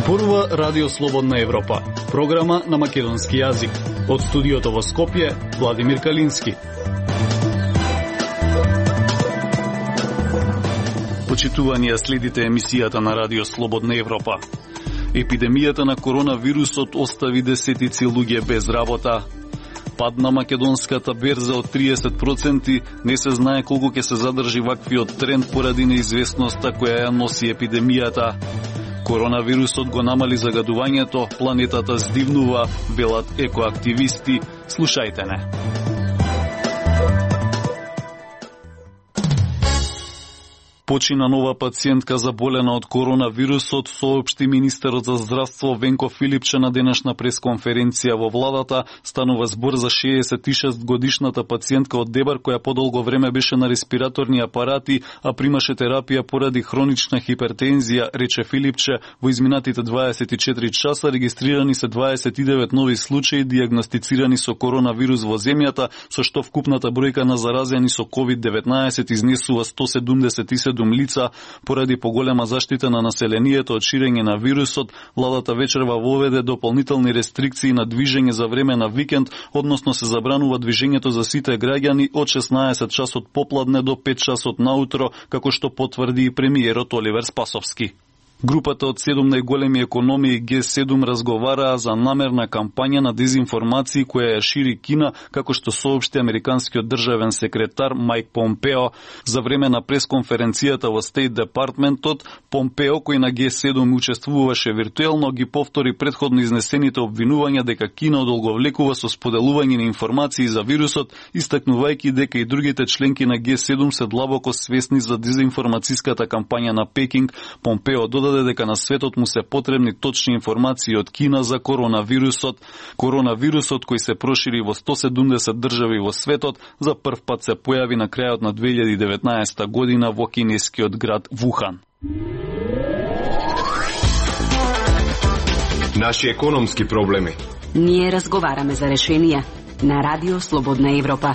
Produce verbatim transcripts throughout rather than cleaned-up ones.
Зборува Радио Слободна Европа, програма на македонски јазик. Од студиото во Скопје, Владимир Калински. Почитувани, следите емисијата на Радио Слободна Европа. Епидемијата на коронавирусот остави десетици луѓе без работа. Пад на македонската берза од триесет проценти, не се знае колку ќе се задржи ваквиот тренд поради неизвестноста која ја носи епидемијата. Коронавирусот го намали загадувањето, планетата здивнува, велат екоактивисти. Слушајте не. Почина нова пациентка заболена од коронавирусот, соопшти министерот за здравство Венко Филипче на денешна пресконференција во владата. Станува збор за шеесет и шест годишната пациентка од Дебар која подолго време беше на респираторни апарати, а примаше терапија поради хронична хипертензија, рече Филипче. Во изминатите дваесет и четири часа регистрирани се дваесет и девет нови случаи дијагностицирани со коронавирус во земјата, со што вкупната бројка на заразени со ковид деветнаесет изнесува сто седумдесет и седум лица. Поради поголема заштита на населението од ширење на вирусот, владата вечерва воведе дополнителни рестрикции на движење за време на викенд, односно се забранува движењето за сите граѓани од шеснаесет часот попладне до пет часот наутро, како што потврди и премиерот Оливер Спасовски. Групата од седум најголеми економии Г седум разговараа за намерна кампања на дезинформации која ја шири Кина, како што соопшти американскиот државен секретар Мајк Помпео. За време на пресконференцијата во Стейт Департментот, Помпео, кој на Г седум учествуваше виртуелно, ги повтори претходно изнесените обвинувања дека Кина одолговлекува со споделување на информации за вирусот, истакнувајќи дека и другите членки на Г седум се длабоко свесни за дезинформацијската кампања на Пекинг. Помпео додаде дека на светот му се потребни точни информации од Кина за коронавирусот. Коронавирусот, кој се прошири во сто седумдесет држави во светот, за прв пат се појави на крајот на две илјади и деветнаесета година во кинескиот град Вухан. Наши економски проблеми. Ние разговараме за решенија на Радио Слободна Европа.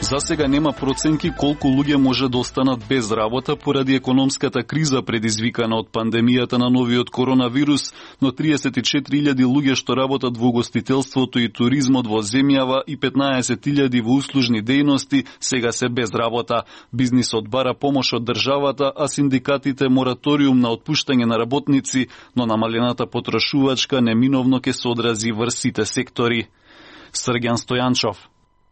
За сега нема проценки колку луѓе може да останат без работа поради економската криза предизвикана од пандемијата на новиот коронавирус, но триесет и четири илјади луѓе што работат во угостителството и туризмот во земјава и петнаесет илјади во услужни дејности сега се без работа. Бизнисот бара помош од државата, а синдикатите мораториум на отпуштање на работници, но намалената потрошувачка неминовно ќе се одрази врз сите сектори. Срѓан Стојанчов.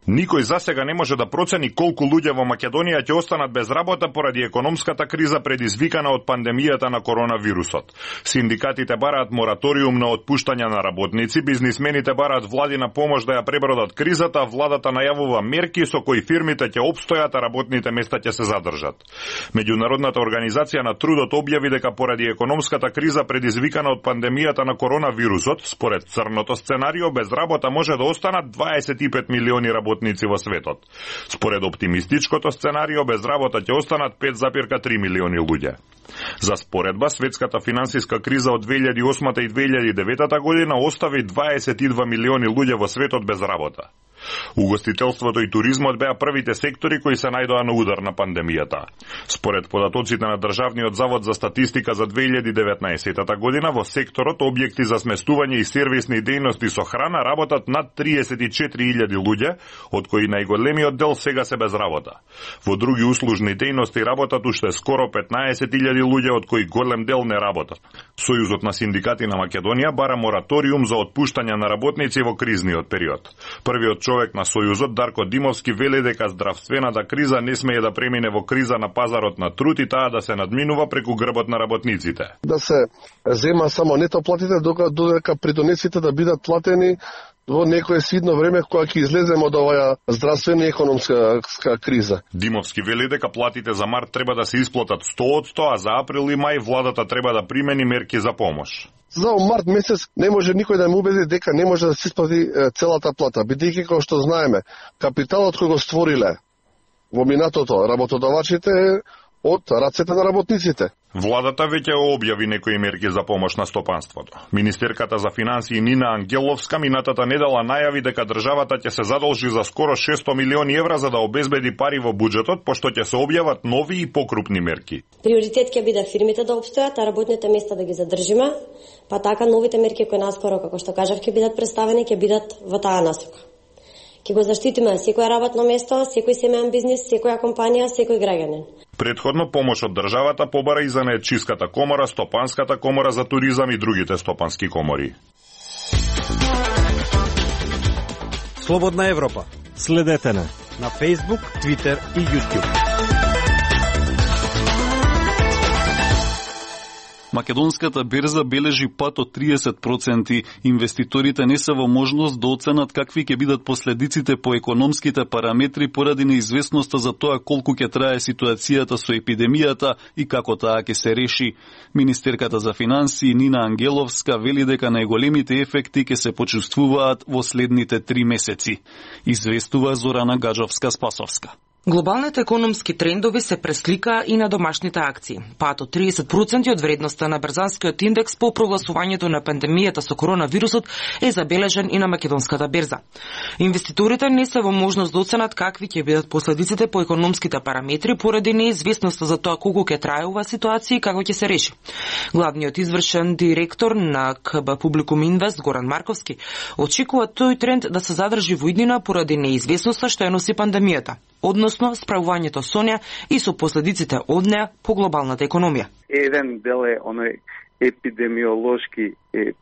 Никој засега не може да процени колку луѓе во Македонија ќе останат без работа поради економската криза предизвикана од пандемијата на коронавирусот. Синдикатите бараат мораториум на отпуштање на работници, бизнисмените бараат владина помош да ја пребродат кризата, владата најавува мерки со кои фирмите ќе опстојат, а работните места ќе се задржат. Меѓународната организација на трудот објави дека поради економската криза предизвикана од пандемијата на коронавирусот, според црното сценарио, без работа може да останат дваесет и пет милиони работници работници во светот. Според оптимистичкото сценарио, без работа ќе останат пет зарез три милиони луѓе. За споредба, светската финансиска криза од две илјади и осма и две илјади и девета година остави дваесет и два милиони луѓе во светот без работа. Угостителството и туризмот беа првите сектори кои се најдоа на удар на пандемијата. Според податоците на Државниот завод за статистика за две илјади и деветнаесета година, во секторот објекти за сместување и сервисни дејности со храна работат над триесет и четири илјади луѓе, од кои најголемиот дел сега се без работа. Во други услужни дејности работат уште скоро петнаесет илјади луѓе, од кои голем дел не работат. Сојузот на синдикати на Македонија бара мораториум за отпуштање на работници во кризниот период. Првиот човек на Сојузот, Дарко Димовски, вели дека здравствената криза не смее да премине во криза на пазарот на труд и таа да се надминува преку грбот на работниците. Да се зема само нето платите, додека придонесите да бидат платени во некое свидно време кога ќе излеземе од оваа здравствена и економска криза. Димовски вели дека платите за март треба да се исплатат сто одсто, а за април и мај владата треба да примени мерки за помош. За март месец не може никој да ме убеди дека не може да се исплати целата плата, бидејќи како што знаеме, капиталот кој го створиле во минатото работодавачите од рацете на работниците. Владата веќе објави некои мерки за помош на стопанството. Министерката за финансии Нина Ангеловска минатата недела најави дека државата ќе се задолжи за скоро шесто милиони евра за да обезбеди пари во буџетот, пошто ќе се објават нови и покрупни мерки. Приоритет ќе биде фирмите да обстојат, а работните места да ги задржиме, па така новите мерки кои наскоро, како што кажав, ќе бидат представени, ќе бидат во таа насока. Ќе го заштитиме секој работно место, секој семеен бизнис, секоја компанија, секој граѓанин. Предходно помош од државата побара и за Наетчиската комора, Стопанската комора за туризам и другите стопански комори. Слободна Европа. Следете на на Facebook, Twitter и YouTube. Македонската берза бележи пат од триесет проценти. Инвеститорите не се во можност да оценат какви ќе бидат последиците по економските параметри поради неизвестноста за тоа колку ќе трае ситуацијата со епидемијата и како таа ќе се реши. Министерката за финансии Нина Ангеловска вели дека најголемите ефекти ќе се почувствуваат во следните три месеци. Известува Зорана Гаджовска-Спасовска. Глобалните економски трендови се преслика и на домашните акции. Пат од триесет проценти од вредноста на Берзанскиот индекс по прогласувањето на пандемијата со коронавирусот е забележен и на македонската берза. Инвеститорите не се во можност да оценат какви ќе бидат последиците по економските параметри поради неизвестноста за тоа колку ќе трае оваа ситуација и како ќе се реши. Главниот извршен директор на КБ Публикум Инвест Горан Марковски очекува тој тренд да се задржи во иднина поради неизвестноста што ја носи пандемијата, односно справувањето со неа и со последиците од неа по глобалната економија. Еден дел е оној епидемиолошки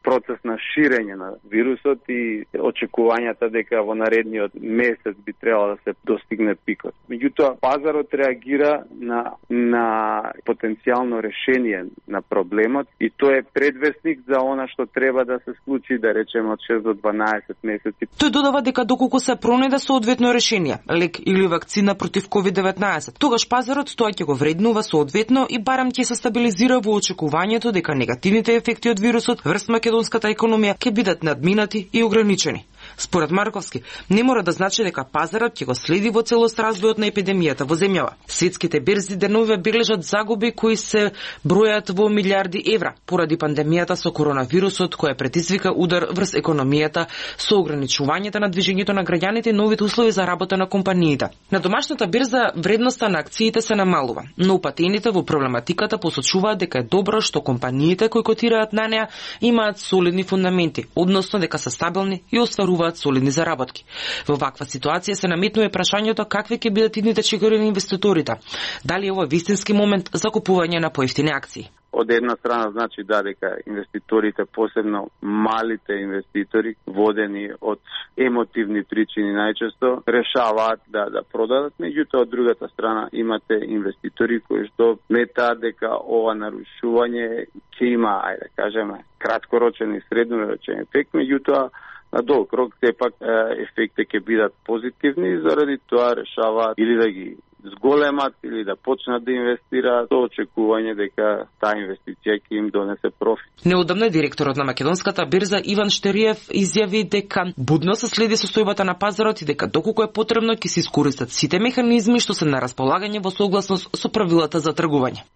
процес на ширење на вирусот и очекувањата дека во наредниот месец би требало да се достигне пикот. Меѓутоа, пазарот реагира на, на потенцијално решение на проблемот и тоа е предвестник за она што треба да се случи, да речеме, од шест до дванаесет месеци. Тој додава дека доколку се пронајде соодветно решение, лек или вакцина против ковид деветнаесет, тогаш пазарот тоа ќе го вреднува соодветно и барем ќе се стабилизира во очекувањето дека негативните ефекти од вирусот врз македонската економија ќе бидат надминати и ограничени. Според Марковски, не мора да значи дека пазарот ќе го следи во целост развојот на епидемијата во земјава. Светските берзи деновиве бележат загуби кои се бројат во милиарди евра поради пандемијата со коронавирусот која предизвика удар врз економијата со ограничувањето на движењето на граѓаните и новите услови за работа на компаниите. На домашната берза вредноста на акциите се намалува, но упатените во проблематиката посочуваат дека е добро што компаниите кои котираат на неа имаат солидни фундаменти, односно дека се стабилни и остваруваат солидни заработки. Во ваква ситуација се наметнува прашањето какви ќе бидат идните чекори на инвеститорите. Дали е ова вистински момент за купување на поевтини акции? Од една страна значи да дека инвеститорите, посебно малите инвеститори, водени од емотивни причини најчесто, решаваат да да продадат, меѓутоа од другата страна имате инвеститори кои што метаат дека ова нарушување ќе има, ајде да кажеме, краткорочен и среднорочен ефект, меѓутоа на долг рок сепак ефекти ќе бидат позитивни и заради тоа решаваат или да ги зголемат или да почнат да инвестираат со очекување дека таа инвестиција ќе им донесе профит. Неодамна директорот на македонската берза Иван Штериев изјави дека будно се следи состојбата на пазарот и дека доколку е потребно ќе се искористат сите механизми што се на располагање во согласност со правилата за тргување.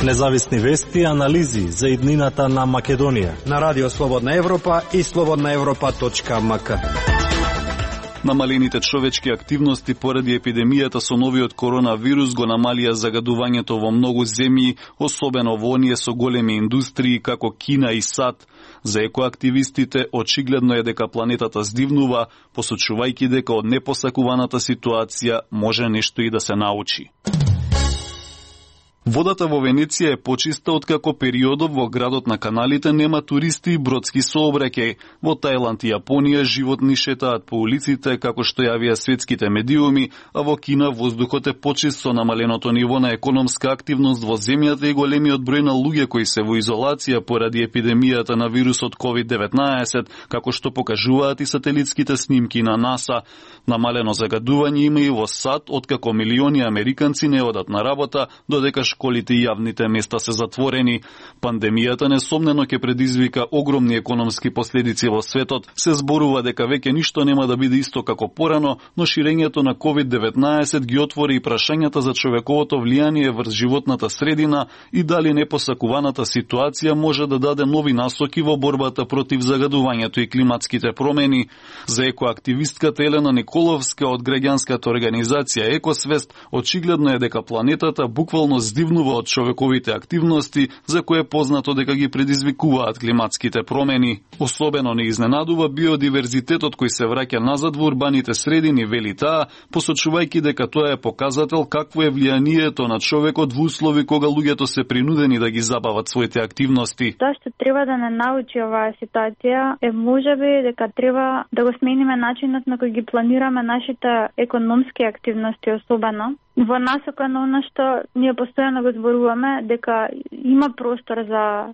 Независни вести и анализи за иднината на Македонија на Радио Слободна Европа и слободна европа точка ем ка. Намалените човечки активности поради епидемијата со новиот коронавирус го намалија загадувањето во многу земји, особено во оние со големи индустрии како Кина и САД. За екоактивистите очигледно е дека планетата здивнува, посочувајќи дека од непосакуваната ситуација може нешто и да се научи. Водата во Венеција е почиста откако периодов во градот на каналите нема туристи и бродски сообраќај. Во Тајланд и Јапонија животни шетаат по улиците како што јавија светските медиуми, а во Кина воздухот е почист со намаленото ниво на економска активност во земјата и големиот број на луѓе кои се во изолација поради епидемијата на вирусот ковид деветнаесет, како што покажуваат и сателитските снимки на НАСА. Намалено загадување има и во САД, откако милиони американци не одат на работа, додека школите и јавните места се затворени. Пандемијата несомнено ќе предизвика огромни економски последици во светот. Се зборува дека веќе ништо нема да биде исто како порано, но ширењето на ковид деветнаесет ги отвори и прашањата за човековото влијание врз животната средина и дали непосакуваната ситуација може да даде нови насоки во борбата против загадувањето и климатските промени. За екоактивистката Елена Николовска од граѓанската организација Екосвест, очигледно е дека планетата буквално здивнува од човековите активности за кои е познато дека ги предизвикуваат климатските промени. Особено не изненадува биодиверзитетот кој се враќа назад во урбаните средини, вели таа, посочувајќи дека тоа е показател какво е влијанието на човекот во услови кога луѓето се принудени да ги забават своите активности. Тоа што треба да не научи оваа ситуација е можеби дека треба да го смениме начинот на кој ги планираме нашите економски активности, особено во насока на она што ние постојано го зборуваме дека има простор за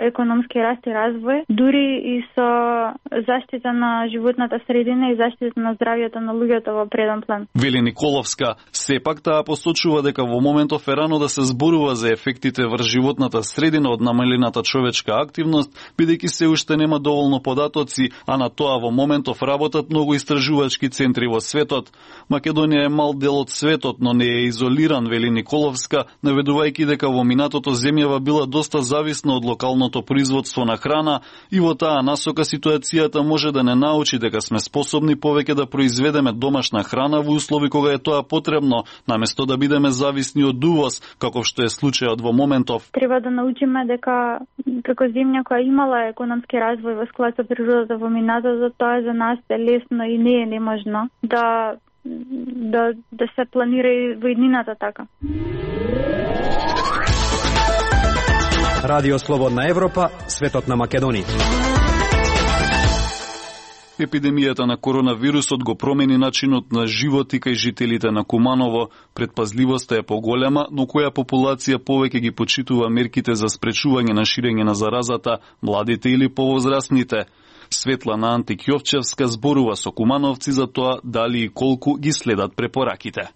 економски раст и развој, дури и со заштита на животната средина и заштита на здравјето на луѓето во преден план. Вели Николовска, сепак таа посочува дека во моментов е рано да се зборува за ефектите врз животната средина од намалената човечка активност, бидејќи се уште нема доволно податоци, а на тоа во моментов работат многу истражувачки центри во светот. Македонија е мал дел од светот, но не е изолиран, вели Николовска, наведувајќи дека во минатото земјава била доста зависна од локалното производство на храна и во таа насока ситуацијата може да не научи дека сме способни повеќе да произведеме домашна храна во услови кога е тоа потребно, наместо да бидеме зависни од увоз, како што е случајот во моментов. Треба да научиме дека како земја која имала економски развој во склад со природата во минатото, тоа за нас е лесно и не е неможно да да да се планира и во иднината така. Радио Слободна Европа, светот на Македонија. Епидемијата на коронавирусот го промени начинот на живот и кај жителите на Куманово. Предпазливоста е поголема, но која популација повеќе ги почитува мерките за спречување на ширење на заразата, младите или повозрастните? Светлана Антик-Јовчевска зборува со кумановци за тоа дали и колку ги следат препораките.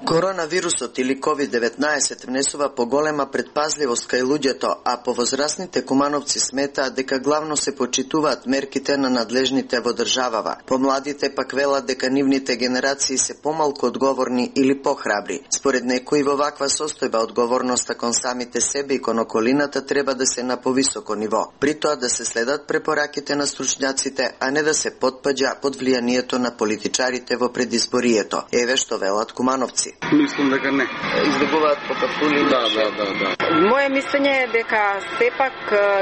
Коронавирусот или ковид деветнаесет внесува поголема предпазливост кај луѓето, а повозрастните кумановци сметаат дека главно се почитуваат мерките на надлежните во државава. Помладите пак велат дека нивните генерации се помалку одговорни или похрабри. Според некои во ваква состојба одговорноста кон самите себе и кон околината треба да се на повисоко ниво. При тоа да се следат препораките на стручњаците, а не да се потпаѓа под влијанието на политичарите во предизборието. Еве што велат кумановци. Мислам дека не. Избегуваат по патрули? Да, да, да, да. Моje мислење е дека сепак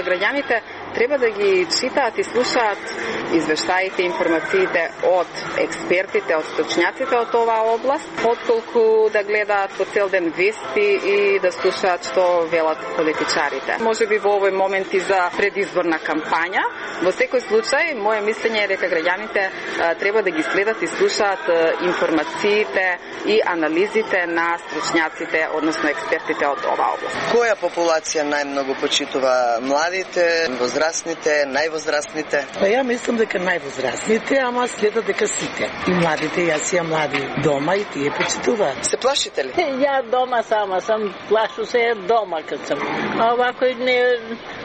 граѓаните треба да ги читаат и слушаат извештаите и информациите од експертите, од стручњаците од оваа област, отколку да гледаат по цел ден вести и да слушаат што велат политичарите. Може би во овој момент и за предизборна кампања. Во секој случај, моje мислење е дека граѓаните треба да ги следат и слушаат информациите и анализите на стручњаците, односно експертите од оваа област. Која популација најмногу почитува? Младите, возрастните, највозрастните? Па ја мислам дека највозрастните, ама следат дека сите. И младите, јас ја млади дома и тие почитуваат. Се плашите ли? Ја дома сама сам, плашу се дома кад сум. А овако не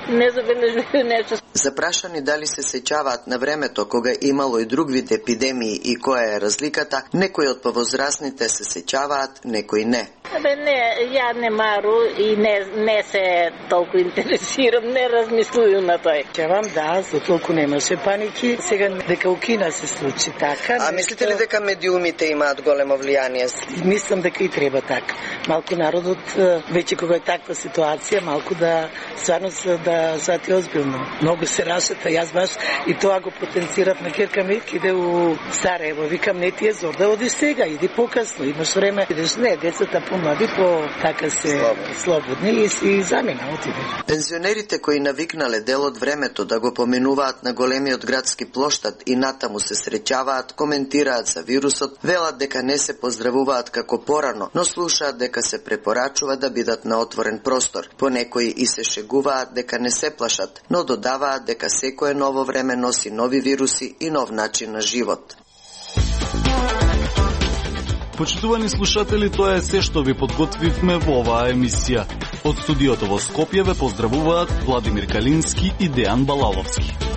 не забележувам нешто. Запрашани дали се сеќаваат на времето кога имало и друг вид епидемии и која е разликата, некои од повозрастните се сеќаваат, некои не. Абе не, ја не мару и не не се толку интересирам, не размислувам на тој. Ќе вам да, за толку немаше паники. Сега дека укина се случи така. А мислите ли дека медиумите имаат големо влијание? Мислам дека и треба така. Малку народот веќе кога е таква ситуација, малку да стварно да свати озбилно. Многу се рашата, јас баш и тоа го потенцирав на керка ми, иде у Сараево, викам не ти е зор да одиш сега, иди покасно, имаш време, идеш не, децата помлади, по така се слободни, слободни и си замина отиде. Пензионерите кои навикнале дел од времето да го поминуваат на големиот градски плоштад и натаму се среќаваат, коментираат за вирусот, велат дека не се поздравуваат како порано, но слушаат дека се препорачува да бидат на отворен простор. Понекои и се шегуваат дека не се плашат, но додаваат дека секое ново време носи нови вируси и нов начин на живот. Почитувани слушатели, тоа е се што ви подготвивме во оваа емисија. Од студиото во Скопје ве поздравуваат Владимир Калински и Дејан Балаловски.